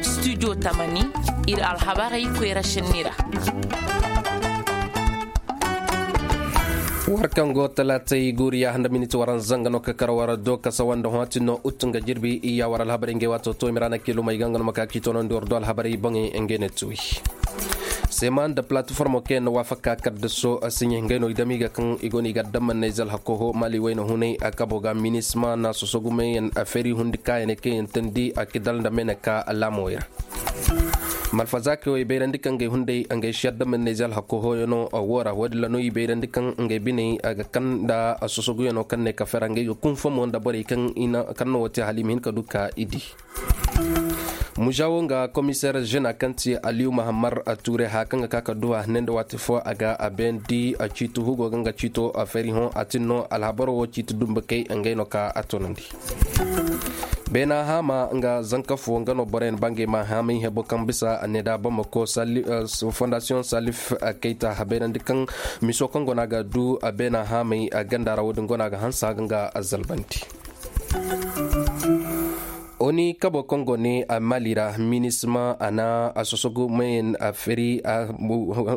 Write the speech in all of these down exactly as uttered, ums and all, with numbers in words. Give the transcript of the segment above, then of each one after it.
Studio tamani, ir alhabarey koyra šenni ra. War kaŋ go talaatey guuriya handa miniti waranza nga no ka kar war do kasa wanda hõ a tin no ut nga jirbi iyya war alhabarey ngey waato to i ma ra na kiilumey ga nga no ma ka k'i toonandi war do alhabarey boŋey ngey ne tuwi. Seema nda palatiformo kaŋ yaŋ na waafaka kaddaso a siɲe ngey no i dam i ga kaŋ i go no i ga adammaney zalhakoho maali wayna hunay a kabo ga minisma na sosogumeyaŋ a feeri hundi kaayaney kaŋ yaŋ teendi a kidal nda meeneka laamowey ra. Malfazaakey wo i bayrandi kaŋ ngey hunday ngey si adammaney zalhakoho yaŋo wo ra wo- din ra no i bayrandi kaŋ ngey biney a ga kaŋ nda sosoguyaŋo kaŋ ne kafe ra ngey ga kunfa mo nda borey kaŋ no wo te hala i ma hin ka du ka i di. Mužawo nga komiseer žena kaŋ ti aliyu mahammar ture haya kaŋ ga ka ka duwa ne nda waati fo a ga a bayandi ciiti hugo ga nga ciito a fari hõ a tin no alhabaro wo ciiti dumbakey ngey no ka a toonandi. Beena haama nga zanka fo nga no boroyaŋ bangey ma haamay hebo kaŋ bisa a ne da bamako fondasiyoŋ salif kayta a bayrandi kaŋ miso kaŋ go no a ga du a beena haamay ganda ra wo- din go no a ga hanse a ga nga a zalbandi. Oni kabo kaŋ go ne a maali ra minisma a na a sosogu mayen a feri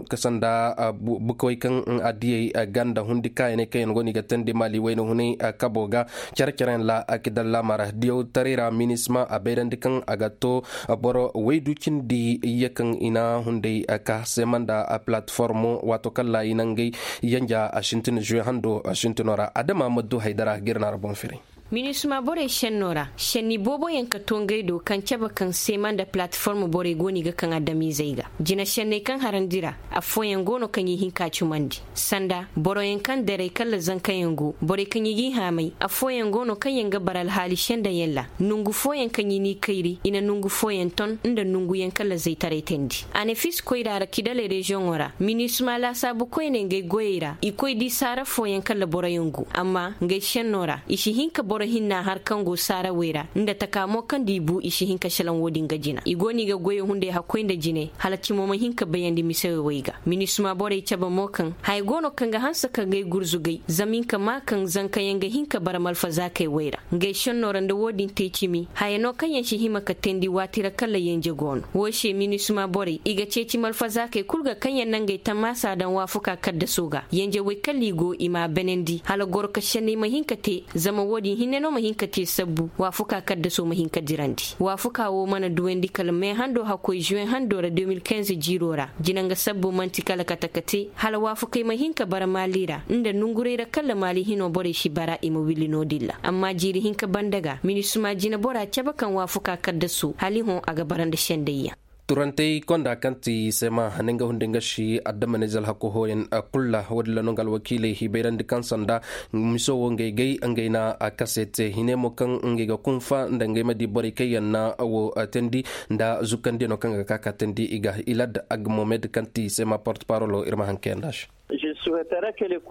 kasanda bukawey kaŋ a diyey ganda hundi kaayaney kaŋ yaŋ go no i ga teendi maali wayna hunay kabo ga care-careyaŋ ra a kidal laama ra diyaw taray ra minisma a bayrandi kaŋ a ga to boro waydu cindi iyye kaŋ i na hunday ka seema nda a palatiformo waato kaŋ ra i na ngey yanja a sintin žuwe hando a sintino ra adama ma du haydara ga ir na ra boŋ firay. Minisma borey šenno ra šenni boobo yaŋ ka to ngey do kaŋ cabe kaŋ seema nda palatiform borey go no i ga kaŋ adamizey ga jina šenney kaŋ harandi ra. Affooyaŋ go no kaŋ i hin ka cumandi sanda boroyaŋ kaŋ daray kalla zankayaŋ go borey kaŋ i g'i haamay affooyaŋ go no kaŋ yaŋ ga bara alhaali sendayaŋ ra. Nongu fooyaŋ kaŋ i n'i kayri i na nongu fooyaŋ ton nda nonguyaŋ kalla zaytaray teendi. Anefis koyra ra kidaley reziyoŋo ra minisma laasaabu koyne ngey goyey ra i koy di saara fooyaŋ kalla boroyaŋ go amma ngey senno ra i si hin ka boro hinna har kaŋ go saarawey ra nda taka mo kaŋ nda i bu i si hin ka salaŋ wo-din ga jina i go no i ga goyey hunday hakkoy nda jine hala cimo ma hin ka bayandi misewey wey ga minisma borey cabe mo kaŋ haya go no kaŋ ga hanse ka ngey gurzugay zama i nka maa kaŋ zankayaŋ ga hin ka bara malfazaakey wey ra. Ngey senno ra nda wo-din te cimi haya no kaŋ yaŋ si hima ka teendi waati ra kala yenje go no wo se minisma borey i ga ceeci malfazaakey kul ga kaŋ yaŋ na ngey tamaasa daŋ waafuka kaddaso ga yenjewey kala i go i m'a benandi hala goro ka senney ma hin ka te zama wo-din hinne no ma hin ka te sabbu waafuka kaddaso ma hin ka dirandi waafuka wo mana duwandi kala mee hando hakkoy zuwe hando ra de mil kinze jiiro ra jina nga sabbu man'ti kala kate ka te hala waafukey ma hin ka bara maali ra nda nonguray ra kala maali hino borey si bara i ma willi no-din ra amma jiiri hinka banda ga minisma jinebora cabe kaŋ waafuka kaddasu hala i hõ a ga bara nda sendayyaŋ. Turantey konda kaŋ ti sema ne nga hunday nga si adamanize alhaku hooyaŋ kul ra wo-din ra no nga alwakiiley i bayrandi kaŋ sanda miso wo ngey gay ngey na a kase te hine mo kaŋ ngey ga kunfa nda ngey ma di borey kaŋ yaŋ na wo teendi nda zukandiyano kaŋ ga ka ka teendi i ga ilad agmomed kaŋ ti sema porte parolo ir ma haŋ kayanda se.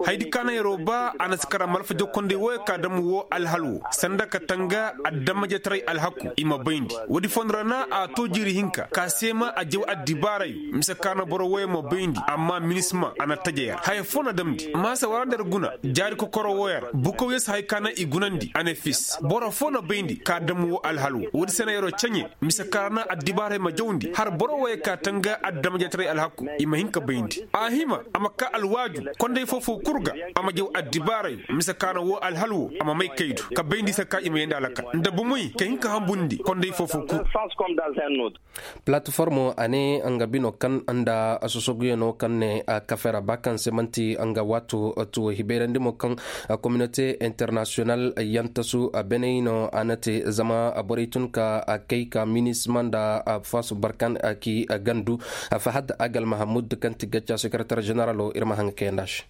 Haydi kaana yeroo ba a na si kara malfa jokkonday wooyo ka dam woo alhal woo sanda ka tanga adamajetaray alhaku i ma bayndi. Woodi fondo ra na a too jiiri hinka ka seema a jaw addibaarayo mise kaana boro wooyo ma bayndi amma minisma a na taja yer haya foo na damndi maasa wara nda yer guna jaari kokoro wooyo ra bukow yer si hay kaana i gunandi a ne fis boro foo na bayndi ka dam woo alhal woo woodi se na yeroo ceɲe mise kaana addibaarayo ma jawndi har boro wooyo ka tanga adamajetaray alhaku i ma hin ka bayndi a hima a ma kaa alwaaju konday foofoo kul ga a ma jaw addibaarayo mise kaana woo alhal woo a ma may kaydu ka bayndi se ka i ma yeendi alakal nda bomoy ka hin ka hambundi konday foofoo kul. Palatiformo a ne nga bino kaŋ nda sosoguyanoo kaŋ ne kafe ra ba kaŋ se man'ti nga waato tuwo hibayrandi mo kaŋ kominote internasiyonal yantasu beney no a na te zama borey tun ka kay ka minisma nda faasu barkan ki gandu fahad agal mahamud kaŋ ti gacca sekeretar ženeralo ir ma haŋ ga kayanda se.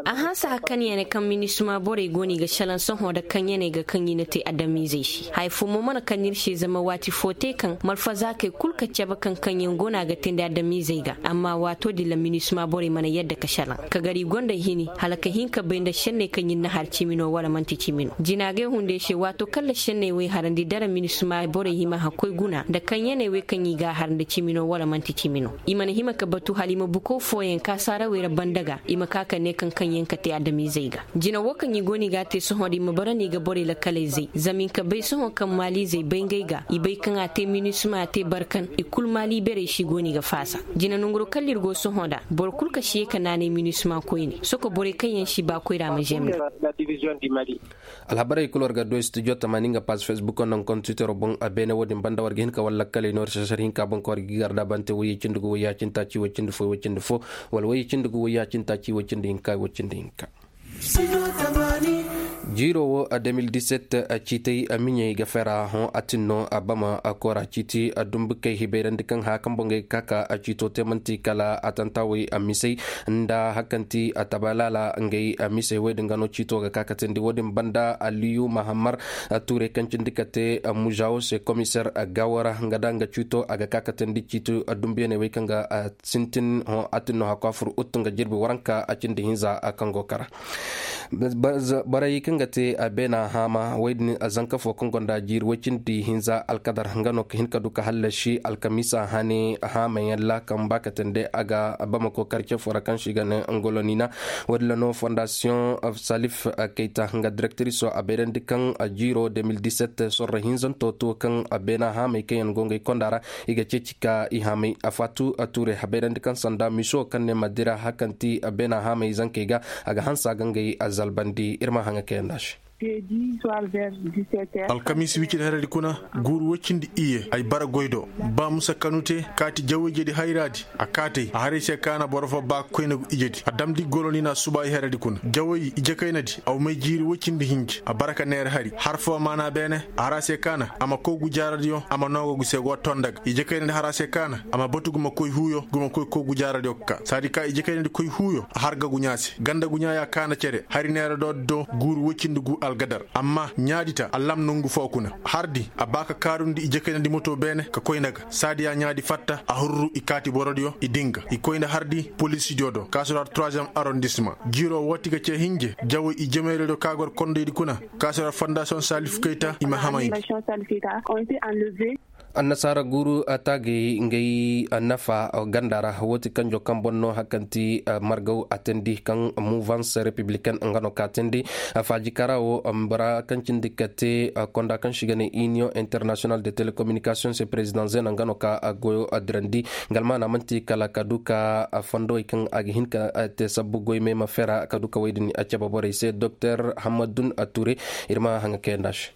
A hanse hakkanyaney kaŋ minisma borey go no i ga salaŋ sohõ nda kaŋyaney ga kaŋ i na te adamizey se haya fo mo mana kaŋ ir se zama waati fo te kaŋ malfazaakey kul ka cabe kaŋ kaŋyaŋ go no a ga teendi adamizey ga amma waato din ra minisma borey mana yadda ka salaŋ ka gar i gonda hini hala ka hin ka bay nda senney kaŋ ir na har cimi no wala man'ti cimi no jinaagay hunday se waato kaŋ ra senney wey harandi dara minisma borey hima hakkoy guna nda kaŋyaney wey kaŋ i ga a har nda cimi no wala man'ti cimi no i mana hima ka batu hala i ma bukow fooyaŋ ka Arawey ra banda ga i ma ka ka ne kaŋ kaŋ yaŋ ka te adamizey ga. Jina wo kaŋ i go no i ga a te sohõ da i ma bara no i ga borey lakkaley zay zama i ka bay sohõ kaŋ maalizey bay ngey ga i bay kaŋ a te minisima a te barkan i kul maali berey se i go no i ga faasa. Jina nanguro kalla ir go sohõ nda boro kul ka si ye ka naanay minisima koyne soko borey kaŋ yaŋ si ba koyra ma zem nda. Alhabarey kul war ga du studio tamaani nga paaz facebook nda nga kontiwitero boŋ. Beene wo-din banda war ga hin ka war lakkaley no war sasar hinka boŋ kaŋ war ga gigar da bante woyey cindi gu woyey ya cindi taaci woy cindi fo woy cindi fo, wala woyey cindi gu woyey ya cindi taaci woy cindi hinka woy cindi hinka. Jiiro wo a deux mille dix-sept ciitey miɲey ga fera hõ a tin no a bama a koora ciiti a dumbukey hibayrandi kaŋ haya kaŋ boŋ ga ka ka a ciito te man'ti kala a tantawey a misey nda hakanti a tabalaala ngey a misey woy din ga no ciito ga ka ka teendi wo-din banda aliyu mahammar tuurey kaŋ cindi ka te muzawo se komiseer gawo ra nga da nga ciito a ga ka ka teendi ciito dumbuyaney wey kaŋ ga sintin hõ a tin no hakwa fur uttu nga jirbi waranka a cindi hinza kaŋ go kara. Borey kaŋ ga te a beena haama wey din zanka fo kaŋ gonda jiiri woy cindi hinza alkadar nga no ka hin ka du ka hallasi alkamiisa hane haamayaŋ ra kaŋ ba ka teendi a ga bamako karce fo ra kaŋ se i ga ne ngolonina. Wo- din ra no fondasiyoŋ salif kayta nga direktiriso a bayrandi kaŋ jiiro deux mille dix-sept sorro hinzanto to kaŋ beena haamey kaŋ yaŋ go ngey konda ra i ga ceeci ka i haamey a faatu a tuure habayrandi kaŋ sanda miso kaŋ ne ma dira hakanti beena haamey zankey ga a ga hanse a ga ngey a zalbandi ir ma haŋa kayanda se. Alkamiisi wicidi heredi kuna guuru woy cindi iyye ay bara goy do. Ba musa kanu te kaati jawayjedi hayraadi a kaatey a haray se kaana boro fo ba koynagu ijedi a damndi golonina suba ay heredi kuna jaway ije kaynadi aw may jiiri woy cindi hinji a bara ka neera hari har fo maana beene a har a se kaana a ma kow gujaaradiyo a ma noogo gu se go tonda ga ije kaynadi har a se kaana a ma batu gu ma koy huuyo gu ma koy kow gujaaradiyo ga ka saadi ka ije kaynadi koy huuyo a har ga guɲaa se ganda guɲaa ya kaana cere hari neera doodi do guuru woy cindi gu algadar amma ɲaadi ta allam nongu foo kuna hardi a ba ka kaarundi ije kaynadi moto beene ka koy nda ga saadi ya ɲaadi fatta a hurru i kaati borodiyo i din ga i koy nda hardi polisidiyo do kaasura troisiyem arondisma jiiro woo ti ga cee hinje jawo i jemeyrodiyo ka gor kondoydi kuna kaasura fondasiyoŋ saalif kayta i ma hamay. Annasaara guuru taagay ngay nafa ganda ra woo ti kanjo kaŋ boŋ no hakanti margaw a teendi kaŋ muvans repibliken nga no ka teendi. Faaji kara woo bora kaŋ cindi ka te konda kaŋ si ga ne iniyoŋ internasiyonal de telekominikasiyoŋ se perezidaŋ zeena nga no ka goyo dirandi. Nga almaana man'ti kala ka du ka fondowey kaŋ a ga hin ka te sabbu goy meema fera ka du ka wey din a cebe borey se doktor hamadun ture. Ir ma haŋa kayanda se.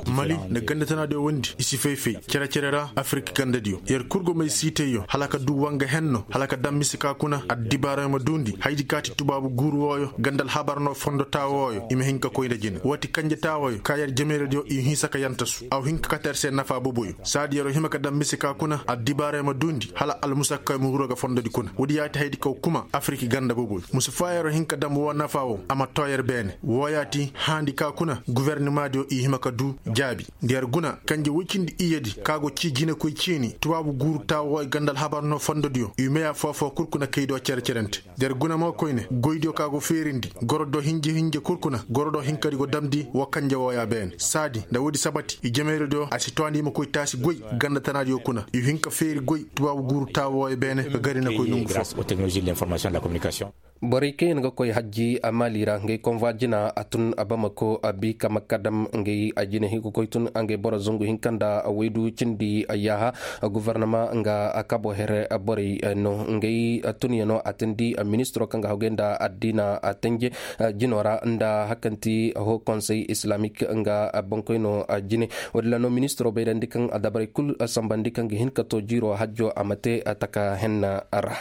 Mali nda ganda tanaadiyo wondi i si fay-fay cere-cere ra afirik gandadiyo yer kul go may siitayyo hala ka du wanga henno hala ka daŋ mise ka kuna addibaarayo ma duundi haydi kaati tubaabu guuru wooyo ganda alhabar no fondo taawooyo i ma hin ka koy nda jina woo ti kanje taawooyo ka yer jemeyradiyo i hinsa ka yantasu a wa hin ka kate yer se nafa boboyo saadi yer wa hima ka daŋ mise ka kuna addibaarayo ma duundi hala almusakkayo ma huru ga fondodi kuna woodi yaati haydi ka wa kuma afirik ganda boboyo musu faa yer wa hin ka daŋ woo nafa woo a ma too yer beene woo yaati haandi ka kuna guwernamaadiyo i hima ka du jaabi nda yer guna kanje woy cindi iyyedi ka go cii jinekoy ciini tubaabu guuru taawooyo ganda alhabar no fondodiyo i meya foo-foo kul kuna kay do cere-cerente nda yer guna mo koyne goydiyo ka go feerindi goro do hinje-hinje kul kuna goro do hinkadi go damndi woo kanje wooya beene saadi nda woodi sabati i jemeyradiyo a si too nda i ma koy taasi goy ganda tanaadiyo kuna i hin ka feeri goy tubaabu guuru taawooyo beene ka gari na koy nongu foo. Borey kaŋ yaŋ ga koy hajji a maali ra ngey konvwa jina a tun a bamako a bi ka makka dam ngey a jina hin ka koy tun ngey boro zangu hinka nda waydu cindi yaaha. Gofornama nga kabo here borey no ngey tunyano a tindi ministiro kaŋ ga hawgay nda addiina a tanje jino ra nda hakanti ho konsey islamik nga bankoyno jine. Walla no ministiro bayrandi kaŋ a dabarey kul sambandi kaŋ ga hin ka to jiiro hajjo a ma te taka henna ra.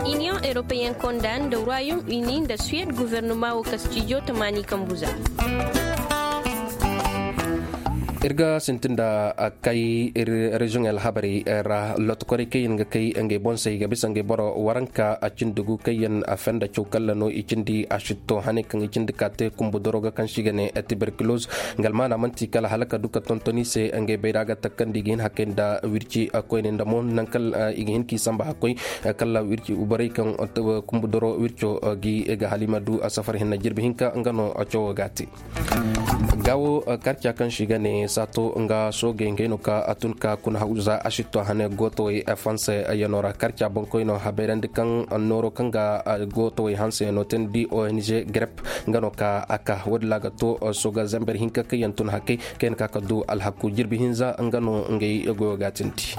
Iniyoŋ europeyen konda nda royaume uni nda suwed guvernoma wo kastijo tamaani kambu za. Ir ga sintin nda kay reziyoŋ alhabarey ra lotokorey kaŋ yaŋ ga kay ngey boŋ se i ga bisa ngey boro waranka a cindi gu kaŋ yaŋ a fenda caw kalla no i cindi a sitto hane kaŋ i cindi ka te kumbu doro ga kaŋ se i ga ne tiberkiloz. Nga almaana manti kala hala ka du ka tonton i se ngey bayra ga takkandi i ga hin hakay nda wirci koyne nda mo naŋ kala i ga hin k'i samba hakkoy kala wirci borey kaŋ kumbu doro wirco gi ga halima du a safar hinna jirbi hinka nga no cawo ga a te. Gaawo karca kaŋ se i ga ne Saato nga soogey ngey no ka a tun ka kuna hawza a sitto hane gootowey, fanse yano ra karca boŋkoyno habayrandi kaŋ nooro kaŋ ga gootowey hanse yano teendi ong grep. Nga no ka a ka wo- din ra ga to sooga zember hinka kaŋ yaŋ tun hakey kaŋ yaŋ ka ka du alhaku jirbi hinza nga no ngey goyo ga a tindi.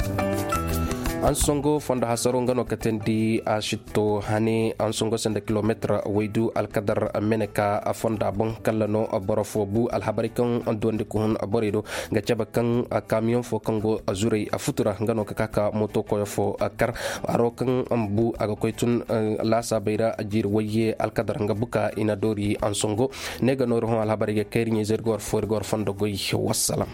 Ansongo fondo hasaro nga no ka teendi a sitto hane ansongo sanda kilometir waydu alkadar mene ka fonda boŋ kalla no boro fo bu alhabarey kaŋ duwandi ka hun borey do ga cabe kaŋ kamiyoŋ fo kaŋ go zuray futura nga no ka ka ka moto koyo fo kar. Haro kaŋ bu a ga koy tun laasaabey ra jiiri wayye alkadar nga buka i na doori ansongo. Ne ga noori hõ alhabarey ga kayri ɲayzey ir ga war fo ir ga war fondo goy. Wassalam.